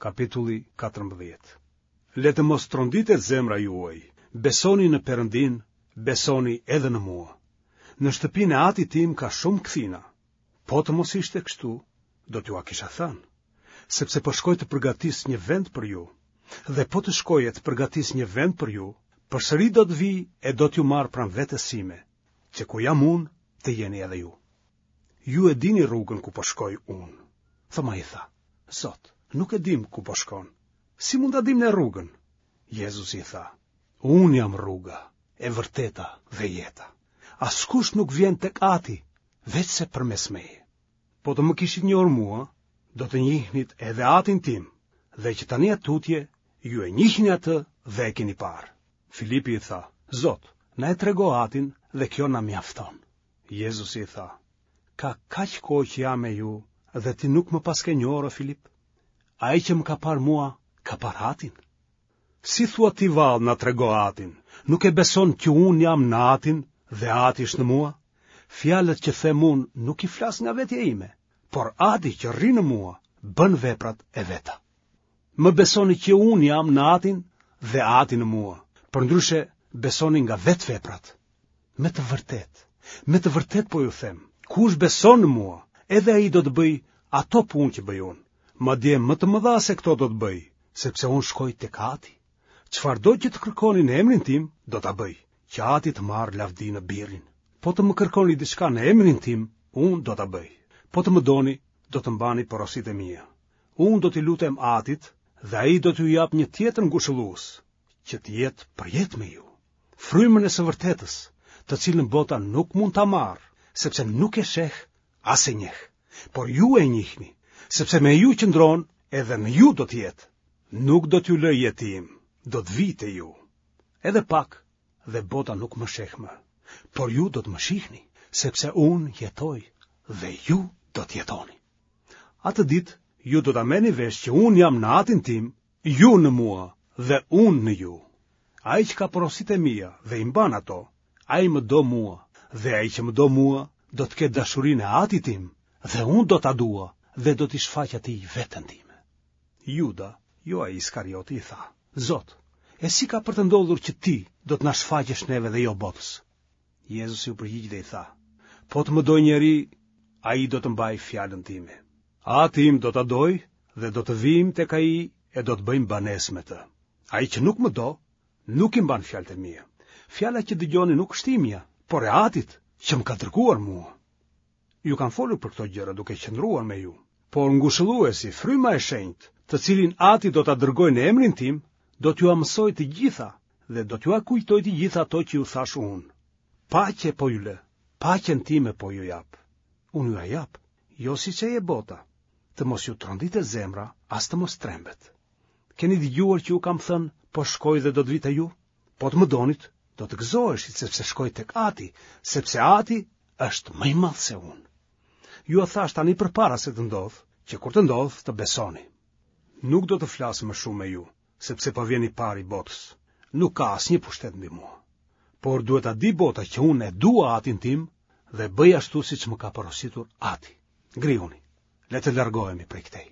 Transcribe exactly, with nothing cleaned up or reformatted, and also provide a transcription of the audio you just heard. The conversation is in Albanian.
Kapitulli katërmbëdhjetë. Le të mos tronditet zemra juaj, besoni në Perëndinë, besoni edhe në mua. Në shtëpinë e Atit tim ka shumë kthina. Po të mos ishte kështu, do t'jua kisha thënë, sepse po shkoj të përgatis një vend për ju. Dhe po të shkoj e të përgatis një vend për ju, përsëri do të vij e do t'ju marr pranë vetes sime, që ku jam unë, të jeni edhe ju. Ju e dini rrugën ku po shkoj unë. Thomai i tha, Zot, nuk e dimë ku po shkon. Si mund ta dimë ne rrugën? Jezusi i tha, Unë jam rruga, e vërteta dhe jeta. Askush nuk vjen tek Ati, veçse përmes meje. Po të më kishit njohur mua, do të njihnit edhe Atin tim, dhe që tani e tutje, ju e njihni atë dhe e keni parë. Filipi i tha, Zot, na e trego Atin dhe kjo na mjafton. Jezusi i tha, Ka kaq kohë që jam me ju dhe ti nuk më paske njohur, o Filip? Ai që më ka parë mua, ka parë Atin. Si thua ti vallë na trego Atin, nuk e beson që unë jam në Atin dhe Ati është në mua? Fjalët që them unë nuk i flas nga vetja ime, por Ati që rri në mua bën veprat e veta. Më besoni që unë jam në Atin dhe Ati në mua, përndryshe besoni nga vetë veprat. Me të vërtetë, me të vërtetë po ju them, kush beson në mua, edhe ai do të bëjë ato punë që bëj unë, madje më të mëdha se këto do të bëjë, sepse unë shkoj tek Ati. Çfarëdo që të kërkoni në emrin tim, do ta bëj, që Ati të marrë lavdi në Birin. Po të më kërkoni diçka në emrin tim, unë do ta bëj. Po të më doni, do të mbani porositë e mia. Unë do t'i lutem Atit dhe ai do t'ju japë një tjetër ngushëllues, që të jetë përjetë me ju. Frymën e së vërtetës, të cilën bota nuk mund ta marrë, sepse nuk e sheh as e njeh. Por ju e njihni, sepse me ju qëndron edhe në ju do të jetë. Nuk do t'ju lë jetim, do të vij te ju. Edhe pak dhe bota nuk më sheh më, por ju do të më shihni, sepse unë jetoj dhe ju do të jetoni. Atë ditë ju do ta merrni vesh që unë jam në Atin tim, ju në mua dhe unë në ju. Ai që ka porositë e mia dhe i mban ato, ai më do mua, dhe ai që më do mua do të ketë dashurinë e Atit tim, dhe unë do ta dua dhe do t'i shfaq atij veten time. Juda, jo ai Iskarioti, i tha, Zot, e si ka për të ndodhur që ti do të na shfaqesh neve dhe jo botës? Jezusi u përgjigj dhe i tha, Po të më dojë njeri, ai do të mbajë fjalën time. Ati im do ta dojë dhe do të vijmë tek ai e do të bëjmë banesë me të. Ai që nuk më do, nuk i mban fjalët e mia. Fjala që dëgjoni nuk është imja, por e Atit që më ka dërguar mua. Ju kam folur për këto gjëra duke qëndruar me ju, por ngushëlluesi, fryma e shenjtë, të cilin Ati do ta dërgojë në emrin tim, do t'jua mësojë të gjitha dhe do t'jua kujtojë të gjitha ato që ju thashë unë. Paqe po ju lë, paqen time po ju jap. Unë jua jap, jo siç e jep bota. Të mos ju tronditet zemra, as të mos trembet. Keni dëgjuar që ju kam thënë, po shkoj dhe do të vij te ju? Po të më donit, do të gëzoheshit sepse shkoj tek Ati, sepse Ati është më i madh se unë. Jua thashë tani përpara se të ndodhë, që kur të ndodhë të besoni. Nuk do të flas më shumë me ju, sepse po vjen i pari i botës. Nuk ka asnjë pushtet mbi mua. Por duhet ta di bota që unë e dua Atin tim dhe bëj ashtu siç më ka porositur Ati. Ngrihuni, le të largohemi prej këtej.